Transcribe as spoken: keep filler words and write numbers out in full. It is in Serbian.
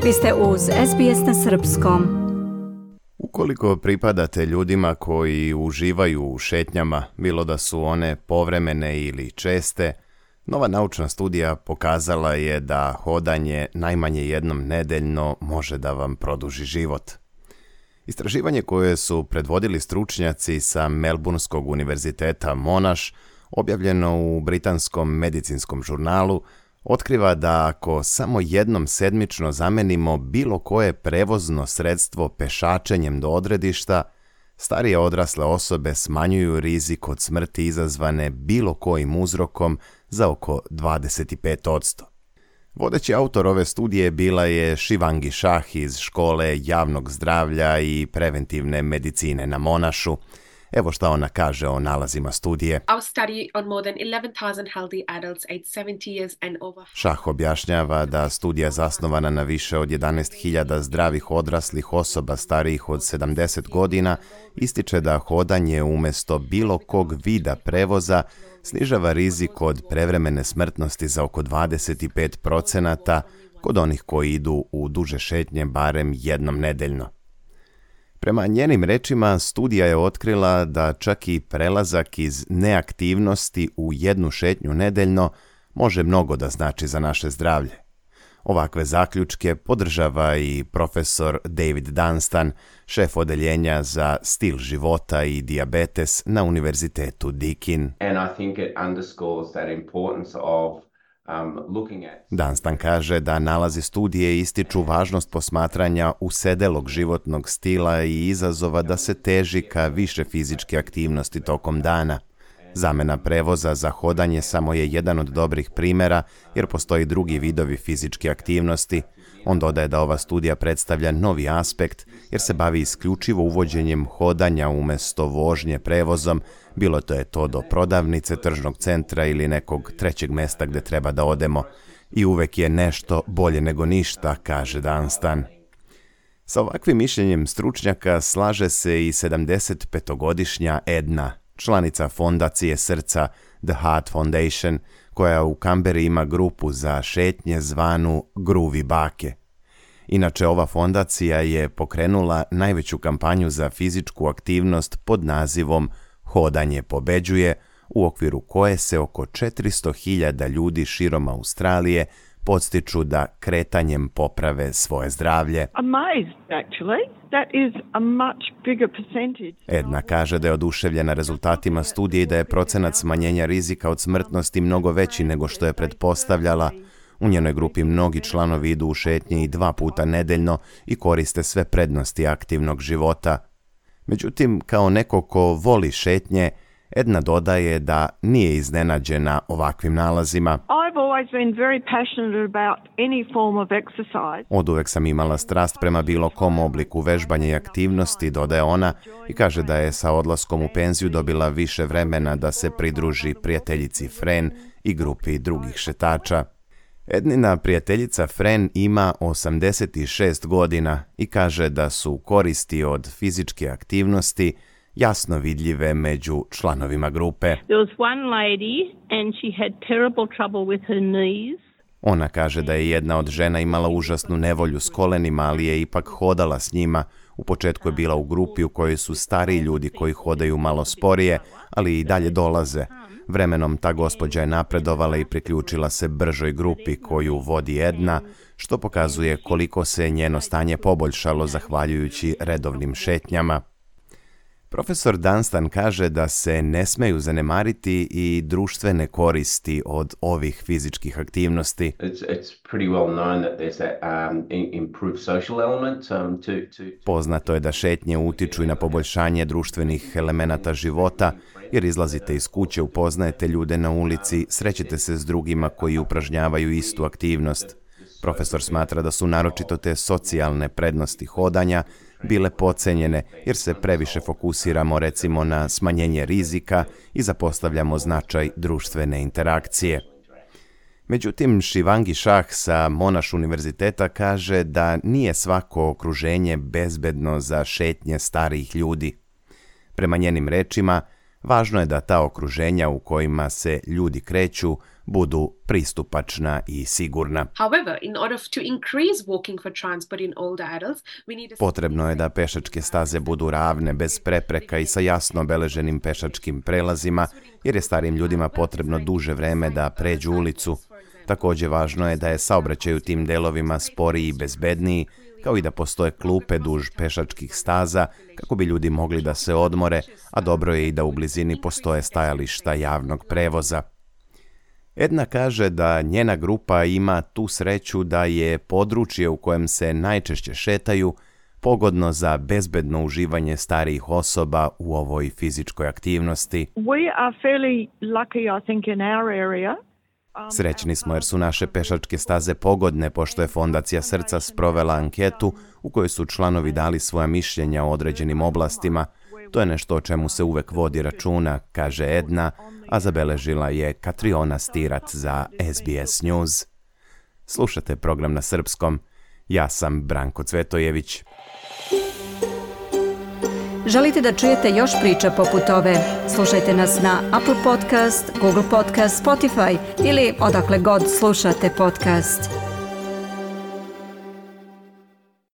Vi ste uz S B S na srpskom. Ukoliko pripadate ljudima koji uživaju u šetnjama, bilo da su one povremene ili česte, nova naučna studija pokazala je da hodanje najmanje jednom nedeljno može da vam produži život. Istraživanje koje su predvodili stručnjaci sa Melbourneskog univerziteta Monash, objavljeno u britanskom medicinskom žurnalu, otkriva da ako samo jednom sedmično zamenimo bilo koje prevozno sredstvo pešačenjem do odredišta, starije odrasle osobe smanjuju rizik od smrti izazvane bilo kojim uzrokom za oko dvadeset pet posto. Vodeći autor ove studije bila je Shivangi Shah iz škole javnog zdravlja i preventivne medicine na Monashu. Evo šta ona kaže o nalazima studije. Shah objašnjava da studija zasnovana na više od jedanaest hiljada zdravih odraslih osoba starijih od sedamdeset godina ističe da hodanje umjesto bilo kog vida prevoza snižava rizik od prevremene smrtnosti za oko dvadeset pet posto kod onih koji idu u duže šetnje barem jednom nedeljno. Prema njenim rečima, studija je otkrila da čak i prelazak iz neaktivnosti u jednu šetnju nedeljno može mnogo da znači za naše zdravlje. Ovakve zaključke podržava i profesor David Dunstan, šef odeljenja za stil života i dijabetes na Univerzitetu Deakin. And I think it underscores that importance of Dunstan kaže da nalazi studije ističu važnost posmatranja usedelog životnog stila i izazova da se teži ka više fizičke aktivnosti tokom dana. Zamena prevoza za hodanje samo je jedan od dobrih primjera, jer postoji drugi vidovi fizičke aktivnosti. On dodaje da ova studija predstavlja novi aspekt, jer se bavi isključivo uvođenjem hodanja umjesto vožnje prevozom, bilo to je to do prodavnice, tržnog centra ili nekog trećeg mesta gde treba da odemo. I uvek je nešto bolje nego ništa, kaže Dunstan. Sa ovakvim mišljenjem stručnjaka slaže se i sedamdesetpetogodišnja Edna, članica fondacije srca The Heart Foundation, koja u Kamberi ima grupu za šetnje zvanu Gruvi bake. Inače, ova fondacija je pokrenula najveću kampanju za fizičku aktivnost pod nazivom Hodanje pobeđuje, u okviru koje se oko četiristo hiljada ljudi širom Australije podstiču da kretanjem poprave svoje zdravlje. Edna kaže da je oduševljena rezultatima studije i da je procenat smanjenja rizika od smrtnosti mnogo veći nego što je pretpostavljala. U njenoj grupi mnogi članovi idu u šetnje i dva puta nedeljno i koriste sve prednosti aktivnog života. Međutim, kao neko ko voli šetnje, Edna dodaje da nije iznenađena ovakvim nalazima. Oduvek sam imala strast prema bilo kom obliku vežbanja i aktivnosti, dodaje ona, i kaže da je sa odlaskom u penziju dobila više vremena da se pridruži prijateljici Fran i grupi drugih šetača. Ednina prijateljica Fran ima osamdeset šest godina i kaže da su koristi od fizičke aktivnosti jasno vidljive među članovima grupe. Ona kaže da je jedna od žena imala užasnu nevolju s kolenima, ali je ipak hodala s njima. U početku je bila u grupi u kojoj su stariji ljudi koji hodaju malo sporije, ali i dalje dolaze. Vremenom ta gospođa je napredovala i priključila se bržoj grupi koju vodi Edna, što pokazuje koliko se njeno stanje poboljšalo zahvaljujući redovnim šetnjama. Profesor Dunstan kaže da se ne smeju zanemariti i društvene koristi od ovih fizičkih aktivnosti. Poznato je da šetnje utiču i na poboljšanje društvenih elemenata života, jer izlazite iz kuće, upoznajete ljude na ulici, srećete se s drugima koji upražnjavaju istu aktivnost. Profesor smatra da su naročito te socijalne prednosti hodanja bile podcenjene, jer se previše fokusiramo recimo na smanjenje rizika i zapostavljamo značaj društvene interakcije. Međutim, Shivangi Shah sa Monash univerziteta kaže da nije svako okruženje bezbedno za šetnje starijih ljudi. Prema njenim rečima, Važno je da ta okruženja u kojima se ljudi kreću budu pristupačna i sigurna. Potrebno je da pešačke staze budu ravne, bez prepreka i sa jasno obeleženim pešačkim prelazima, jer je starijim ljudima potrebno duže vreme da pređu ulicu. Također važno je da je saobraćaj u tim delovima sporiji i bezbedniji, kao i da postoje klupe duž pešačkih staza kako bi ljudi mogli da se odmore, a dobro je i da u blizini postoje stajališta javnog prevoza. Edna kaže da njena grupa ima tu sreću da je područje u kojem se najčešće šetaju pogodno za bezbedno uživanje starijih osoba u ovoj fizičkoj aktivnosti. We are fairly lucky, I think, in our area. Srećni smo jer su naše pešačke staze pogodne, pošto je Fondacija Srca sprovela anketu u kojoj su članovi dali svoja mišljenja o određenim oblastima. To je nešto o čemu se uvek vodi računa, kaže Edna, a zabeležila je Katriona Stirat za S B S News. Slušate program na srpskom. Ja sam Branko Cvetojević. Želite da čujete još priča poput ove? Slušajte nas na Apple Podcast, Google Podcast, Spotify ili odakle god slušate podcast.